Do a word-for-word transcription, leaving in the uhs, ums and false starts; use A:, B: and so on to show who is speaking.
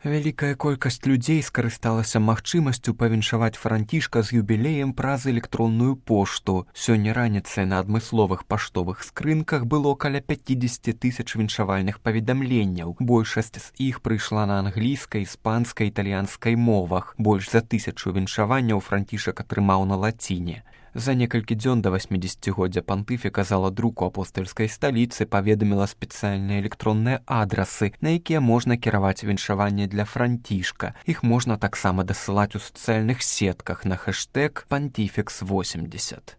A: Вялікая колькасць людзей скарысталася магчымасцю павіншаваць францішка з юбілеем праз электронную пошту. Сёння раніцай на адмысловых паштовых скрынках было каля пяцьдзесят тысяч віншавальных паведамленняў. Большасць з іх прыйшла на англійскай, іспанскай, італьянскай мовах. Больш за тысячу віншаванняў францішак атрымаў на лаціне. За некалькі дзён да васьмідзесяцігоддзя пантыфіка зала друку апостальскай сталіцы паведаміла спецыяльныя электронныя адрасы, на якія можна кіраваць віншаванне для францішка. Іх можна таксама дасылаць у сацыяльных сетках на хэштэг пантифікс восемьдесят.